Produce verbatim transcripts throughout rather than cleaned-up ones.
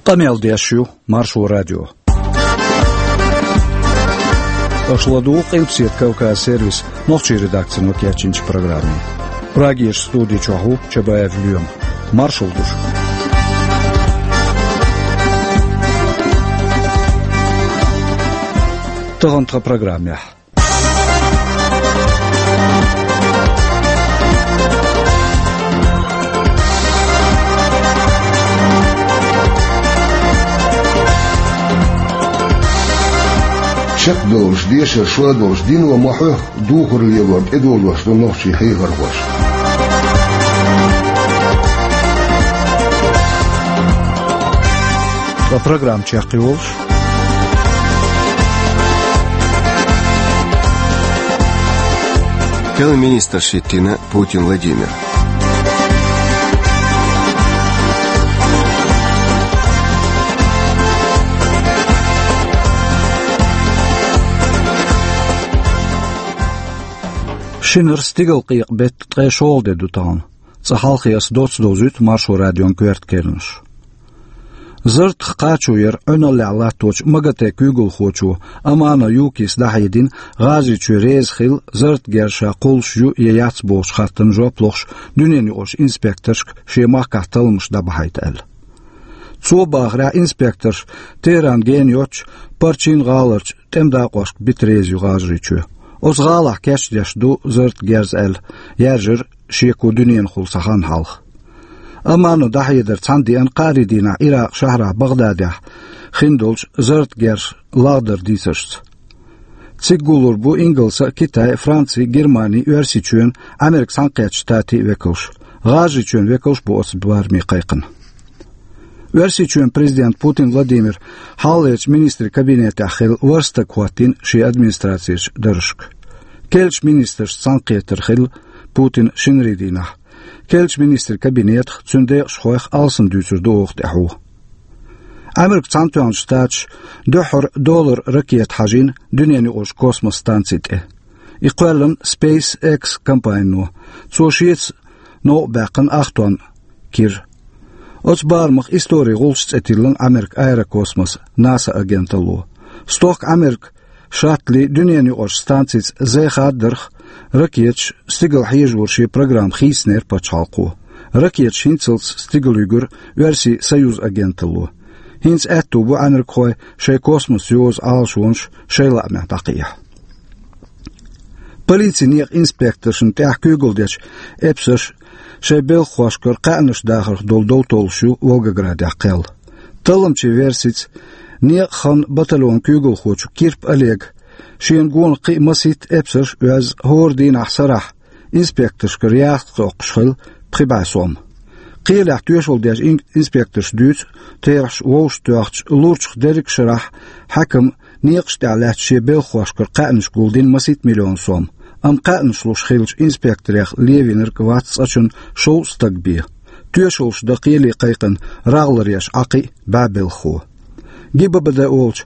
Къамел деш ю Маршо радио. Аша ладугӀу Къилбаседа Кавказ сервисан нохчийн редакцино кечйинчу программе. Прагерчу студи чохь ву Чабаев Лоьма. Маршалла ду шуьга. Тахана тхан программехь. Чекхдолуш, дешар шо долуш дино ма-хьоьхху, духар лелорна тӀедожош ду нохчийн хьехархоша. Ткъа программа чекхйолуш. Керла министрш хӀиттийна Путин Владимира. Шинара стигалкъекъа беттан ткъе шолгӀа де ду тахана. Цкъа хьалхе аса доцца довзуьйту Маршо радион коьрта керланаш. Зартах кхачо яра Ӏуьналлехь латточу МАГАТЭ куьйгалхочо Амано Юкис дӀахьедина, ГӀажарийчоь реза хилла, зартан герз ша кхуллуш ю я яц бохучу хаттарна жоп лохуш дуьненаюкъарчу инспекторшка шен махкахь талламаш дӀабахьийта аьлла. Цо бахарехь, инспекторш Тегеран гена йоцчу Парчин гӀаларчу тӀеман дакъошка бита реза ю ГӀажарийчоь. Оцу гӀалахь кечдеш ду зартан герз аьлла, яьржира шеко дуьненахула цхьа хан хьалха. Амано дӀахьедар цхьаьна деана кхаарин дийнахь Иракъан шахьарахь БагӀдадехь хиндолчу зартан герзаш лагӀдаран дийцаршца. Цига гуллур бу Ингалсан а, Китайн а, Францин а, Германин а, Оьрсийчоьнан а, Ӏамеркан Цхьаьнакхеттачу Штатийн а векалш. ГӀажарийчоьнан векалш а бу оцу бараме кхайкхина. Оьрсийчоьнан президент Путин Владимира хьалхалерчу министрийн кабинетехь хилла ворхӀ стаг хӀоттийна шен администрацерчу даржашка. Керлачу министрашца цхьаьнакхетар хилла Путинан шинарин дийнахь. Керлачу министрийн кабинетах, цуьнан декъашхойх алсам дуьйцур ду оха тӀаьхьо. Ӏамеркан Цхьаьнатоьхначу Штаташа дуьххьара долларан ракета хьажийна дуьненаюкъарчу космос станци тӀе. И кхоьллина SpaceX компанино. Цо шеца новкъа баьккхина ах тонн кира. Оцу барамах «Историн гӀулч» цӀе тиллина Ӏамеркан аэрокосмос, НАСА агенталло. Стохка Ӏамеркан шаттли дуьненаюкъарчу станцица зӀе хаддарх, ракеташ, стигала хьежоран шен программа хийцинера пачхьалкхо. Ракеташ хӀинццалц стигала юьгура Оьрсийн Союз агенталло. ХӀинца аьтто бу ӏамеркахойн шайн космосе йозу Ӏалашонаш шайн лаамехь дӀакхехьа. Полицин некъан инспекторшна тӀехь куьйгалла дечу эпсарш шайн белхахошкара кхаьънаш дахарх долу дов толлуш ю Волгоградехь кхел. Талламчийн версица, некъан хан батальонан куьйгалхочо Кирп Олега шена гонах кхин а масийтта эпсарш а оьзна, хӀора дийнахь сарахь инспекторшкара яхкъа токкхуш хилла пхи бӀе сом. Кхелехь тоьшалла деш ин-, инспекторша дуьйцу, терахьаш вовшахтоьхча лурчух дерриг а шарахь хьаькам некъаш тӀехь лаьцна шен белхахошкара кхаьънаш гулдина масийтта миллион сом, амма кхаьънаш луш хиллачу инспекторех левинарг вац цкъачунна шовзткъа стаг бен. Тоьшаллаш дан кхеле кхайкхина рагӀларъеш Ӏа кхин а бӀе белхахо. ГИБДД олучу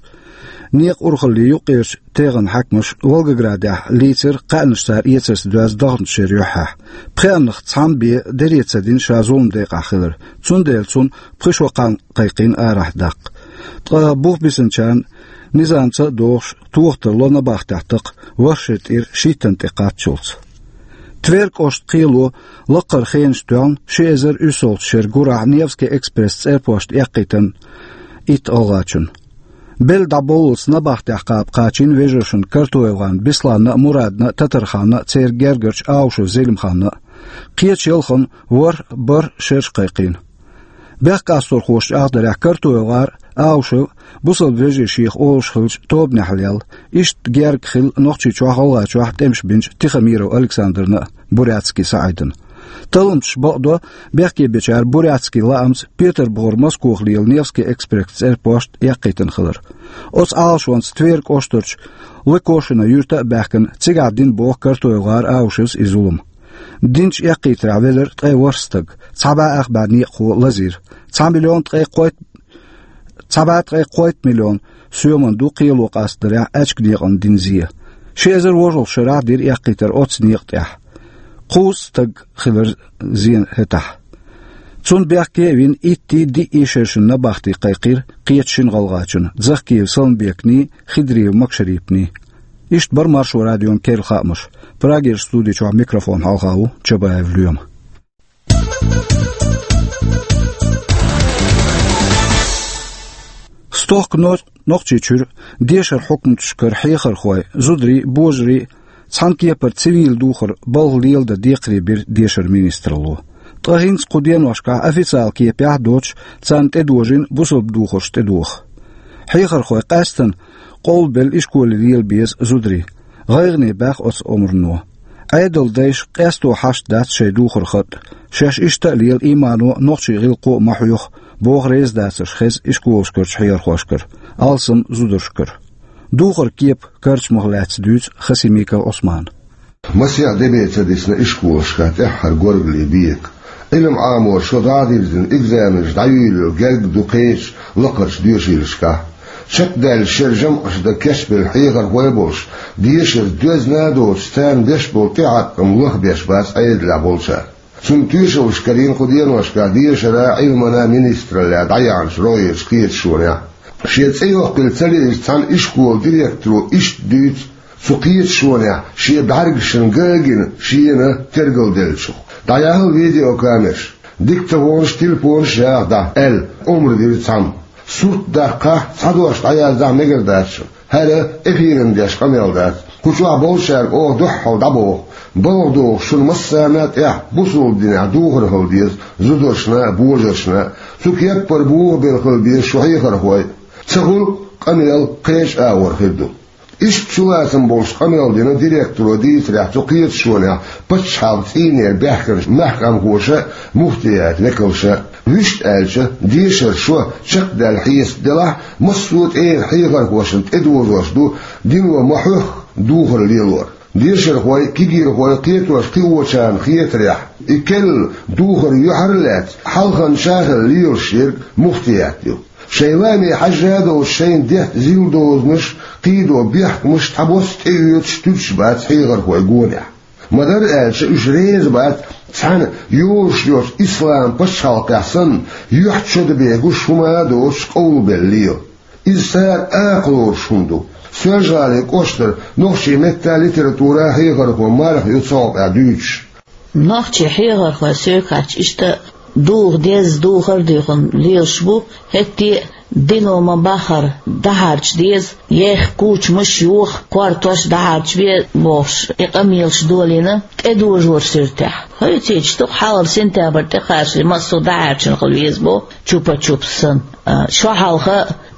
некъан урхаллин юккъерчу тегӀан хьаькамаша Волгоградехь лийцира кхаьънаш цара эцарца доьзна даханчу шеран юьххьехь. Пхеаннах цхьамма бен дера ца дина ша зулам декъахь хилар, цундела цунна пхи шо кхаьъна кхайкхийна арахь даккха. Ткъа бух бисинчарна низамца а догӀуш, тоха тарло набахтехь такха, ворхӀ шеран тӀера шийттан тӀе кхаччалц. Тверь кӀоштан кхело лакхара хенаш тоьхна ши эзар уьссалгӀачу шеран гурахь Невский экспресс цӀерпошта эккхийтина итт гӀалгӀачунна. Белла дӀабовллалц набахтехь кхаба кхачийна вежаршна Картоевган Бесланна а, Мурадна а, Татарханна а, церан гергарчу Аушев Зелимханна а. Кхечу ялханна ворхӀ, бархӀ шераш кхайкхийна. Бехкастурхошна чӀагӀдарехь, Картоевгар а, Аушев а бусалба вежарий шех олуш хиллачу тобанехь лелла, иштта герга хилла Нохчийчохь а, ГӀалгӀайчохь а тӀемаш бинчу Тихомиров Александрна а, Бурятский СаӀидна. Талламчаша бакъдо, бехке бечара Бурятский лаамца Петарбухара Москох лела Невский экспресс цӀерпошта эккхийтина хилар. Оцу Ӏалашонца Тверь кӀоштарчу Лыкошино юьрта а баьхкина, цигахь дина боху Картоевгар а, Аушевс а и зулам. Динчу эккхийтарехь велира ткъе ворхӀ стаг, цхьа бӀе ах бӀе некъахо лазийра. Цхьа миллион ткъе кхойтта, цхьа бӀе ткъе кхойтта миллион соьман ду кхело къастадарехь аьчка некъан дина зе. Ши эзар вожалгӀа шарахь дира эккхийтар оццу некъа тӀехь. Кхузткъа стаг хилира зен хӀетахь. Цунна бехке а вина, итт-диъ шерашна набахти кхайкхира кхечу шина гӀалгӀачунна: Захкиев Саламбекний, Хидриев Макшарипний. Иштта бара Маршо радион керла хаамаш. Прагерчу студи чохь микрофон хьалха ву Чабаев Лоьма. Стохка но-, Нохчийчуьра дешаран хьукматашкара хьехархой, зударий, божарий цхьана кепара цивил духар балха леладан декхаре бира дешаран министралло. Ткъа хӀинца кху деношкахь официалан кепехь а доцуш, царна тӀедожийна бусалба духарш тӀедоха. Хьехархой къаьсттина къовлабелла ишколе лела беза зударий. ГӀайгӀане баьхна оцу омрано. Ӏедалан дайша къесто хьашт дац шайн духар хатӀа. Шаьш иштта а лела, иймано а, нохчийн гӀиллакхо а ма хьоьху, боху реза дацарш хеза ишколашкарчу хьехархошкара. Алсам зударшкара. Духаран кепан карчамах лаьцна дуьйцу Хасимиков Ӏусмана. Масех де бен ца дисна ишколашкахь тӀаьххьара горгали бекъа. Ӏилма Ӏамор шо дӀа а дирзина, экзаменаш дӀайолаялур герга ду кхечу лакхарчу доьшийлашкахь. Чекхдаьлла шеран жамӀаш дан кечбелла хьехархой а болуш, дешарца доьзна а доцуш, царна беш болу тӀеӀаткъам лахбеш бац Ӏедалехь болчара. Цунна тоьшаллаш карийна кху деношкахь дешаран, Ӏилманан министраллехь дӀаяьхьначу рогӀерчу кхеташонехь. Шен цӀе йоккхийла ца лиъначу цхьана ишколан директоро иштта дуьйцу цу кхеташонехь шен бӀаьргашна ган а гина шена тергалделлачух. ДӀаяьхьна видеокамераш, диктофонаш, телефонаш яха дӀа аьлла, омра дира цхьамма. Сурт даккхахь, цхьа дош дӀаяздахь мегар дац шуна. ХӀара эфиран деш къамел дац. Кху чохь болчаьрга оха дуьххьал дӀабоху: балха догӀуш шуна массарна а тӀехь бусалба динехь духар хила деза зударшна а, божаршна а. Цу кеппара бохабелла хила беза шу хьехархой. Ца хуьлу, къамел кхечу агӀор хир ду. Иштта чулацам болуш къамел дина директоро дийцарехь, цу кхеташонехь пачхьалкхан цӀийнера баьхкинчу маьхкамхоша а, муфтиятан векалша а. Вуьшта аьлча, дешаран шо чекхдаьлла хьесап делахь, массо а тӀера хьехархошна тӀедожош ду дино ма хьоьхху духар лелор. Дешархой, кегийрхой кхетош кхиочарна хетарехь, и керла духар юьхьар а лаьцна, хьалханча а хилла лелаш ерг муфтият ю. Шайн лааме хьаьжжа а долуш, шайна детта зил дозанаш, кхийдо бехкамаш цхьабосса тӀеоьцуш туьдуш бац хьехархой гонехь. Ма-дарра аьлча, уьш реза бац цхьана йолуш йолчу ислам пачхьалкхехь санна, юьхь чо дебе гуш хӀума а доцуш къовлабелла лела. Иза цара акха лоруш хӀума ду. Соьлжа-ГӀалин кӀоштара нохчийн меттан, литературан хьехархо Марха ю цу хьокъехь дуьйцуш. Нохчийн хьехархой соьга хаьттича, иштта а духар деза, духар а дуьйхина лелаш бу, хӀетте а дино ма-баххара дӀахьарча деза, еха кучамаш йоха, кортош дӀахьарча бе бохуш, и къамелаш долийна тӀедожоран суьртехь. Хьоьцуьйтуш ду-кх, хьалхара сентябрь тӀекхачале массо а дӀахьаьрчина хила веза боху, чупа-чупс санна. А, шо хьалха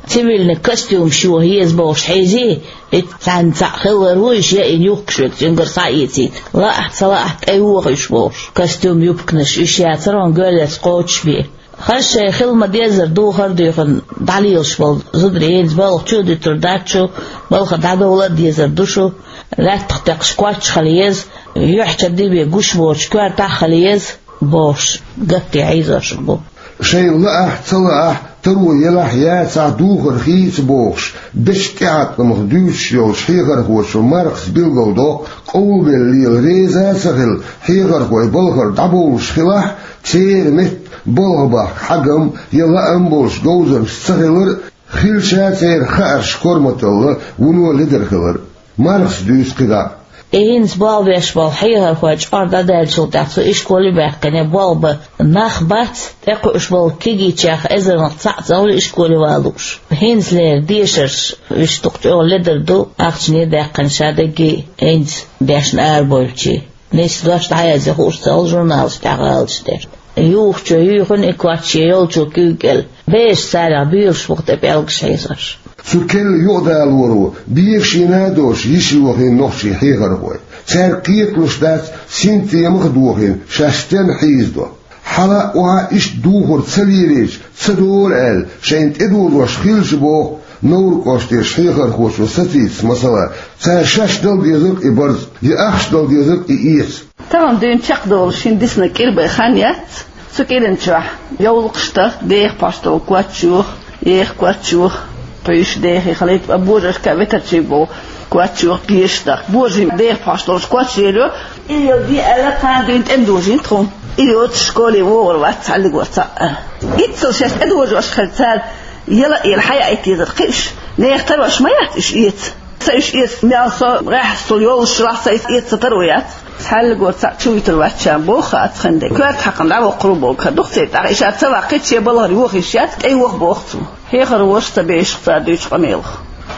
цивильный костюмаш йоха еза бохуш хьийзий, и цхьаьнца цхьаъ хилар ву, иштта яйина юхкуш верг цуьнгара схьаэцийта. Лаахь а, ца лаахь а, тӀейоха уьш бохуш. Костюм, юбканаш уьш яцара хьуна гоьллерца кхочушбе. Хаза шайн хила ма-деззара духар а дуьйхина дӀалелаш болу зударий хӀинца балха чу а дуьтур дац шу, балха дӀадовла а дезар ду шу, лаьттах текхаш коч хила еза, юьхь чо дебе гуш боцуш коьртахь а хила еза бохуш, гатде хьийзош бу. Шайна лаахь а, ца лаахь а, таро елахь а, яцахь а духар хийца бохуш, бечу тӀеӀаткъамах дуьйцуш йолчу хьехархочо Мархас билгалдоккху къовлабелла лела реза а ца хилла хьехархой балхара дӀабовлуш хилахь а, церан метта балха бахка хьагам я лаам болуш говзанча ца хилар а, хилча а церан хаарш корматалла вуно ледара хилар а. Мархас дуьйцу кхидӀа а. И хӀинца болх беш болу хьехархой чкъор дӀадаьллачул тӀаьхьа цу ишколе а баьккхина, болх бан нах бац, тӀекхуьуш болу кегийчех эзарнах цхьаъ ца хуьлу ишколе ван лууш. ХӀинцалера дешарш уьш дукха чӀогӀа ледар ду, ахчане а даьккхина, ша дерриге а хӀинца дешна арабевлчи. Нийса дош дӀаязъян хууш ца хуьлу журналаш тӀехь гӀалаташ деш. Юхучо юьйхина и коч, я йолчо куьйга кӀел. Бераш царех буьйлуш бу-кх тӀе пӀелгаш хьийзош. Цу керла юкъадалоро бегашийна а доцуш йиш йохийна нохчийн хьехархой. Цаьрга кхеталуш дац, синтемах а дохийна, шаьш стенна хьийзадо. Хьала а, охьа а иштта духар ца лелийча, ца долу аьлла, шайна тӀедожош хилча боху, Невран кӀоштарчу хьехархочо сацийта, масала, цара шаьш дала дезарг а и барз, я ахча дала дезарг а и эца. Тахана дуьйна чекхдолуш хӀинца дисина кӀира бен хан яц. Цу кӀиран чохь йовлакхаш дахка, деха пхьош долу коч йоха, еха коч йоха, пхьуьйш дехий хилийта, ткъа божаршка а ветарчий болу коч йоха, гешаш дахка. Божарийн деха пхьош долуш коч лелайо. И йолу де аьлла, кхана дуьйна тӀе ма дожийна тхуна. И йоцуш школе вогӀур вац цхьаллигор цхьаъ. Иццал шаьш тӀедожош хир цара, яла а яла хьаяйта езар кхиш, нехан тарош ма яц уьш эца. Ца уьш эца, мел со гӀехьсул йолуш лахь ца эца, эца ца таро яц. Цхьаллигор цхьаъ чу вуьтур вац ша боху хаа ацхьан де. Коьрта хьакхана дӀавоккхур боху ха дукха церан тӀаккха, иша ца ваккхийча шен балхара юха йиш яц, тӀе юха боху цо. Хьехар ваша ца бешах цара дуьйцу къамелах.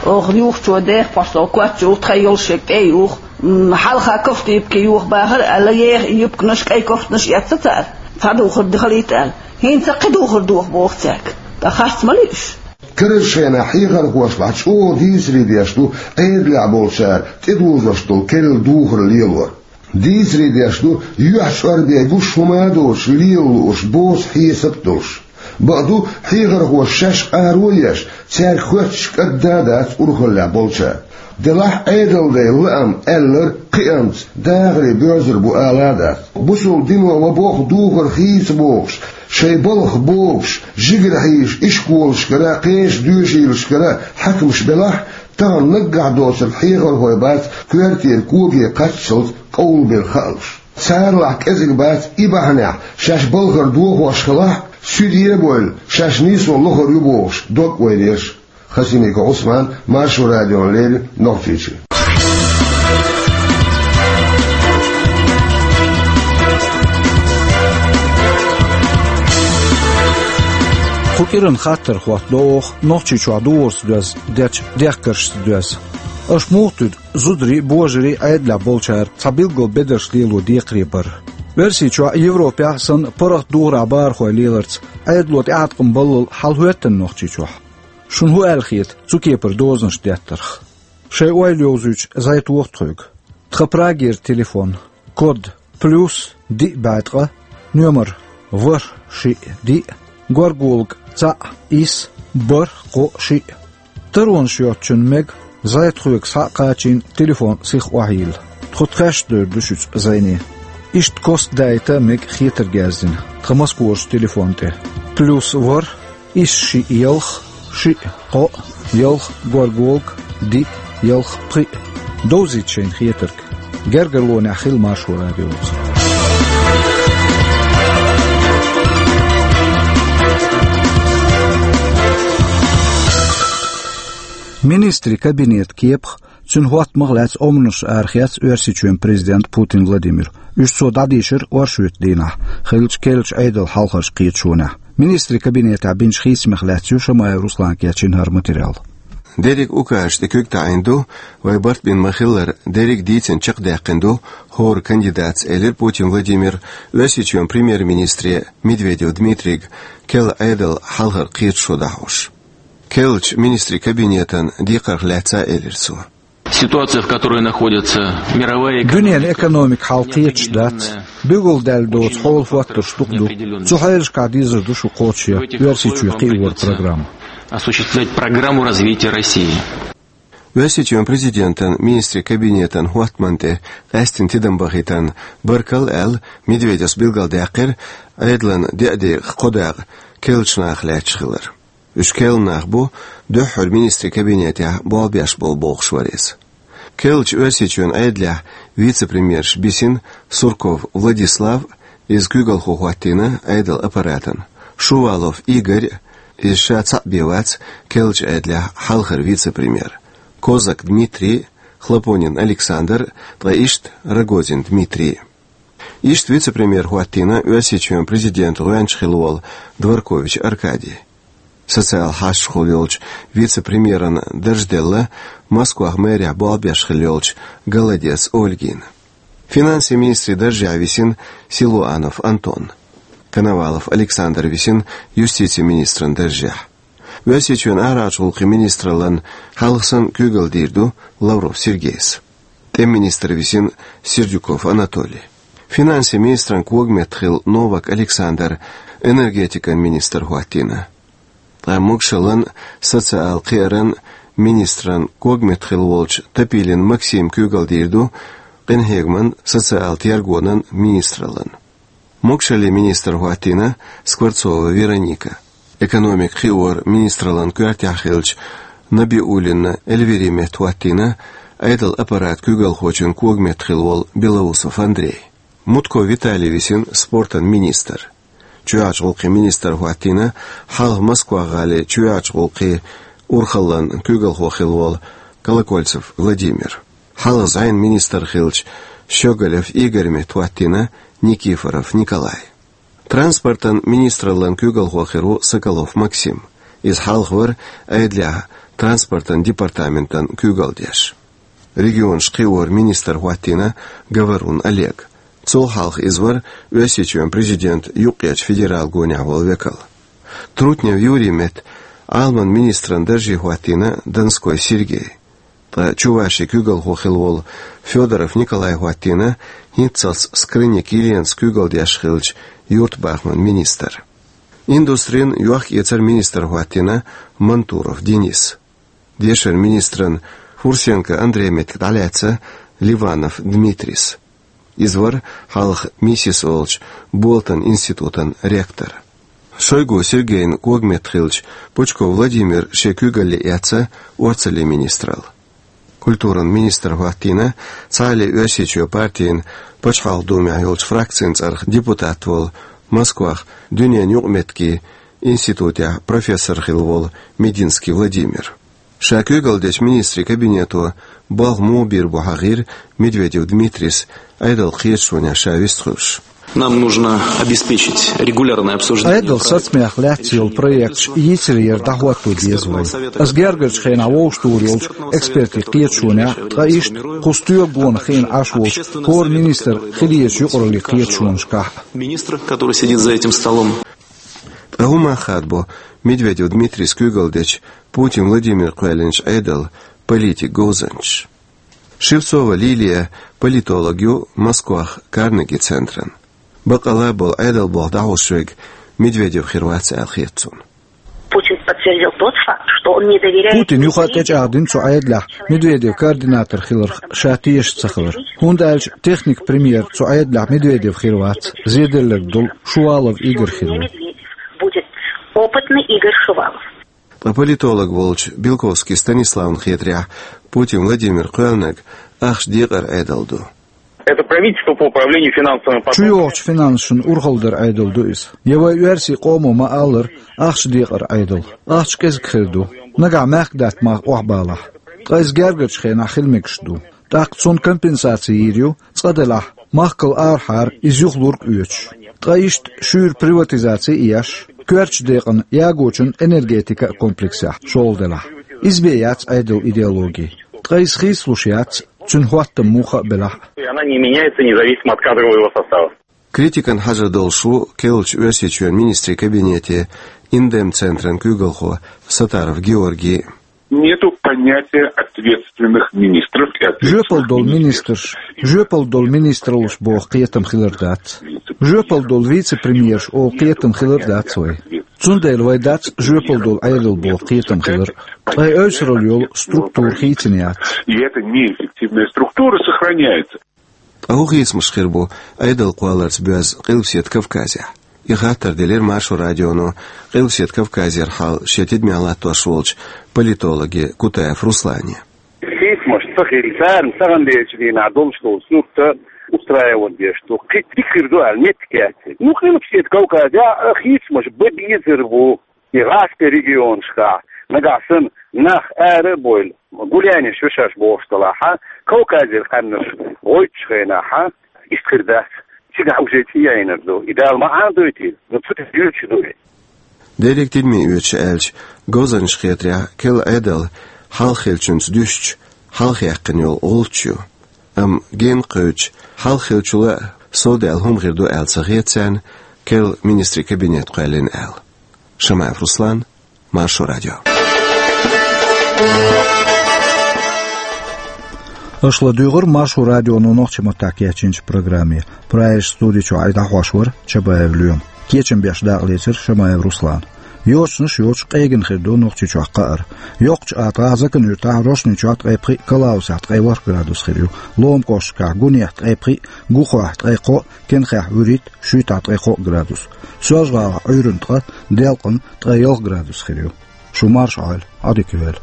Оха юхачо деха пхьош долу коч юха тхайн йолуш ерг тӀе а юха. М, хьалха кофта юбка юха бахара аьлла, еха и юбканаш, кӀай кофтанаш эцна цара. Цхьа духар халийта аьлла. ХӀинца кхин духар доха боху цаьрга. Ткъа харц ма луьйш. Карарчу хенахь хьехархошлахь чӀогӀа дийцаре деш ду Ӏедалехь болчара тӀедожош долу керла духар лелор. Дийцаре деш ду, юьхь чӀор бен гуш хӀума а доцуш, лела лууш, боцу хьесап а долуш. Бакъду, хьехархоша шаьш къаро а еш, цаьрга хоьттуш кӀадда а дац урхаллехь болчара. Делахь а Ӏедалдайн лаам аьлларг кхиамца, дахаре боьрзур бу ала а дац. Бусалба дино ма-бохху духар хийца бохуш, шайн балхах богуш, жигара хьийзаш ишколашкара, кхечу доьшийлашкара хьаькамаш белахь, тахана наггахь доцург хьехархой бац коьртера коге кхаччалц къовлабелла хаалуш. Царалахь кӀезиг бац и бахьанехь шаьш балхара дохош хилахь а, суьде а бевлла, шаьш нийсо лохур ю бохуш дог ойла еш. Хасимиков Ӏусман, Маршо радиона леррина, Нохчийчоь. Кху кӀиран хаттар хӀоттадо оха Нохчийчохь духарца доьзна дечу дехкаршца доьзна. Аша муха туьду зударий а, божарий а, Ӏедалехь болчара цхьа билггал бедарш лело декхаре бар? Оьрсийчохь а, Европехь а санна, паргӀат духарехь бахархой леларца Ӏедало тӀеӀаткъам баллал хьалахӀоьттина Нохчийчохь? Шуна хӀун аьлла хета цу кепара дозанаш деттарх? Шайн ойла йовзуьйтуш зӀе тоха тхоьга. Тхан Прагера телефон, код плюс диъ бӀаьткъа, номер ворхӀ шиъ диъ, горгулг цхьаъ исс бархӀ кхоъ шиъ. Таронаш йоцучунна мега зӀе тхоьга схьа а кхачийна телефон сиха охьайилла. Тхо тхаьш а девр ду шуьца зӀене. Иштта костадайта мега хетарг яздина тхан Москварчу телефон тӀе. Плюс ворхӀ исс шиъ ялх, шиъ кхоъ, ялх горгулг, диъ ялх пхиъ. Довзийта шайна хетарг. Гергарлонехь хила Маршо радиоца. Министрийн кабинетан кепах, цуьнан хӀоттамах а лаьцна омранаш арахецна Оьрсийчоьнан президента Путин Владимира. Уьш цо дӀадийшира оршотан дийнахь хиллачу керлачу Ӏедалан хьалхарчу кхеташонехь. Министрийн кабинетехь бинчу хийцамех лаьцна ю Шамаев Руслана кечйина хӀара материал. Дерриг указаш тӀе куьг таӀийна ду, вай барт бина ма-хиллара, дерриг дийцина чекхдаьккхина ду хӀора кандидатца, элира Путин Владимира Оьрсийчоьнан премьер-министре Медведев Дмитрийга керла Ӏедалан хьалхара кхеташо дӀахьош. Керлачу министрийн кабинетан декхарх лаьцна а элира цо. Ситуация, в которой находится мировая экономика, Дуьненан экономика хьал кхеташ дац. Билгалдаьлла доцу хьолан хӀоттарш дукха ду. Цу хьелашкахь дезар ду шу кхочушъян Оьрсийчоь кхиоран программа. Осуществлять программу развития России. Оьрсийчоьнан президентан министрийн кабинетан хӀоттамна тӀе къаьстина тидам бахийтарна баркалла аьлла, Медведевс билгалдаьккхира Ӏедалан деа декъах кхо дакъа керлачу нахах лаьтташ хилар. Уьш керла нах бу, дуьххьара министрийн кабинетехь болх беш болу бохуш вара иза. Керлачу Оьрсийчоьнан Ӏедалехь вице-премьерш бисина Сурков Владислав, иза куьйгалхо хӀоттийна Ӏедалан аппаратан, Шувалов Игорь, иза ша цхьаъ бен вац керлачу Ӏедалехь хьалхара вице-премьер, Козак Дмитрий, Хлопонин Александр, ткъа иштта Рогозин Дмитрий. Иштта вице-премьер хӀоттийна Оьрсийчоьнан президентан гӀоьнча хилла волу Дворкович Аркадий. Социал хьашташхула йолчу вице-премьеран дарж делла Москвахь мэрехь болх беш хилла йолчу Голодец Ольгина. Финансийн министрийн даржехь висина Силуанов Антон. Коновалов Александр висина юстицийн министран даржехь. Оьрсийчоьнан арахьарчу гӀуллакхийн министраллан хьалха санна куьйгалла дийр ду Лавров Сергейс. ТӀеман министр висина Сердюков Анатолий. Финансийн министран когаметтахилла Новак Александр энергетикан министр хӀоттийна. Ткъа могушаллан, социал кхиаран министран когаметтахилла волчу Топилин Максим куьйгалла дийр ду къинхьегаман, социал тергонан министраллан. Могушаллин министр хӀоттийна Скворцова Вероника. Экономика кхиоран министраллан коьртехь хиллачу Набиуллина Эльвири метта хӀоттийна Ӏедалан аппарат куьйгалхочун когаметтахилла волу Белоусов Андрей. Мутко Виталий висина спортан министр. Чоьхьарчу гӀуллакхийн министр хӀоттийна хьалха Москва-гӀалин чоьхьарчу гӀуллакхийн урхаллин куьйгалхо хилла волу Колокольцев Владимир. Хьалха зӀенан министр хиллачу Щеголев Игорь метта хӀоттийна Никифоров Николай. Транспортан министраллин куьйгалхо хир ву Соколов Максим. Иза хьалха вара Ӏедалехь транспортан департаментан куьйгалдеш. Регионаш кхиоран министр хӀоттийна Говорун Олег. Цул хьалха иза вара Оьрсийчоьнан президентан юккъерчу федералан гонехь волу векал. Трутнев Юрий метта Ӏаламан министран дарже хӀоттийна Донской Сергей. Ткъа Чувашин куьйгалхо хилла волу Федоров Николай хӀоттийна хӀинццалц Скрынник Еленас куьйгалдеш хиллачу юьртабахаман министр. Индустрин, йохк-эцаран министр хӀоттийна Мантуров Денис. Дешаран министран Фурсенко Андрей меттиг дӀалаьцна Ливанов Дмитрис. Иза вара хьалха МИСИС олучу Болтан институтан ректор. Шойгу Сергейн когаметта хиллачу Пучков Владимир шен куьйгалле эцна орцаллин министралла. Культуран министр хӀоттийна Цхьааллин Оьрсийчоь партин Пачхьалкхан Думехь йолчу фракцин цӀарах депутат волу, Москвахь дуьненан юкъаметтигийн институтехь профессор хилла волу Мединский Владимир. Ша куьйгалдечу министрийн кабинето балха муха бийр бу хьахийра Медведев Дмитрис Ӏедалан кхеташонехь ша вистхуьлуш. Нам нужно обеспечить регулярное обсуждение. Ӏедалан сацамех лаьцна йолу проекташ йийцаре яр дӀахӀотто деза вай. Ас гергарчу хенахь вовшахтухур йолчу экспертийн кхеташонехь, ткъа иштта кху стоьга гонах хиъна Ӏаш волчу хӀора министр хилийчу юкъараллин кхеташонашкахь. Министр, который сидит за этим столом. Ткъа хӀун мах хадабо Медведев Дмитрис куьйгалдечу Путин Владимира кхоьллинчу Ӏедалан политикан говзанчаша? Шевцова Лилия политолог ю Москвахь Карнеги центран. Баккъалла а болу Ӏедалан болх дӀахьош верг Медведев хир вац аьлла хета цунна. Путин подтвердил тот факт, что он не доверяет... Путина юха а тӀечӀагӀдина цу Ӏедалехь Медведев координатор хиларх ша тешаш ца хилар. ХӀунда аьлча техник премьер цу Ӏедалехь Медведев хир вац, зеделларг долу Шувалов Игорь хир ву. Будет опытный Игорь Шувалов. Ткъа политолог волчу Белковский Станиславна хетарехь, Путин Владимира кхоьллинарг ахча декъаран Ӏедал ду. Это правительство по управлению финансовыми потоками. Чу йогӀучу финансашна урхалла даран Ӏедал ду иза. Я вай оьрсийн къомо ма-аллара, ахча декъаран Ӏедал. Ахча кӀезиг хир ду. Нагахь мехкадаьтта мах охьабалахь. Ткъа иза гергарчу хенахь хила мегаш ду. ТӀаккха цунна компенсаци йийр ю, цкъа делахь, махкал арахьара иза юхалург а оьцуш. Ткъа иштта шуьйра приватизаци а еш, коьртачу декъана ягочун энергетика а комплексехь шолгӀа делахь. Иза бен яц Ӏедалан идеологи. Ткъа иза хийцалуш яц, цуьнан хӀоттам муха а белахь а. И она не меняется независимо от кадрового состава. Критикана хьажар долуш ву керлачу Оьрсийчоьнан министрийн кабинетан Индем центран куьйгалхо Сатаров Георгий. Нету понятия ответственных министров и ответственных... Жоьпалла долу министрш, жоьпалла долу министраллаш боху кхетам хилар дац. Жоьпалла долу вице-премьерш олу кхетам хилар дац вай. Цундела вай дац жоьпалла долу Ӏедал боху кхетам хилар. Ткъа и ойсуралла йолу структура хийцина яц. И эта неэффективная структура сохраняется. Ткъа хӀун хийцамаш хир бу Ӏедал кхолларца боьзна Къилбаседа Кавказехь? И хаттар делира Маршо радионо Къилбаседа Кавказера хьал шен тидамехь латтош волчу политологе Кутаев Руслане. Хийцамаш ца хилча, царна таханлерчу дийнахь долуш долу сурт устраивать деш ду. Кхин дика хир ду аьлла меттиг яц. Ну, Къилбаседа Кавказехь а хийцамаш бан безар бу. И гӀазкхийн регионашкахь нагахь санна нах ара а бовла, гулянеш ю шаьш бохуш делахь а, Кавказера къаьмнаш гӀойтучу хенахь а, иштта хир дац, цигахь уже цӀе яйнар ду. И Дала ма Ӏамадойтийла, но цу тӀе йоьдуш ду и. Дерриг тидаме оьцуш аьлча, говзанчаша хетарехь, керла Ӏедал хьалха хиллачуьнца дуьстича, хьалха яьккхина йолу гӀулч ю. Амма генна кхевдича, хьалха хиллачул а совдаьлла хӀума хир ду аьлла ца хета царна, керла министрийн кабинет кхоьллина аьлла. Шамаев Руслан, Маршо радио. Аша ладуьйгӀира Маршо радионо нохчийн маттахь кечйинчу программе. Прагерчу студи чохь и дӀахьош вара Чабаев Лоьма. Кечам беш дакъалецира Шамаев Руслана. Йочанаш йоцуш къегина хир ду Нохчийчохь кхаар. Йоккхачу АтагӀахь, Закан-Юьртахь, Рошничохь ткъе пхиъ, Калаусехь ткъе ворхӀ градус хир ю. Лома кӀошташкахь Гунехь ткъе пхиъ, Гухохь ткъе кхоъ, Кенхехь вуьрхӀитта, Шуьйтахь ткъе кхоъ градус. Соьлжа-ГӀалахь Ӏуьйранна ткъа, Делкъана ткъе ялх градус хир ю. Шу марша Ӏойла, Ӏадика йойла.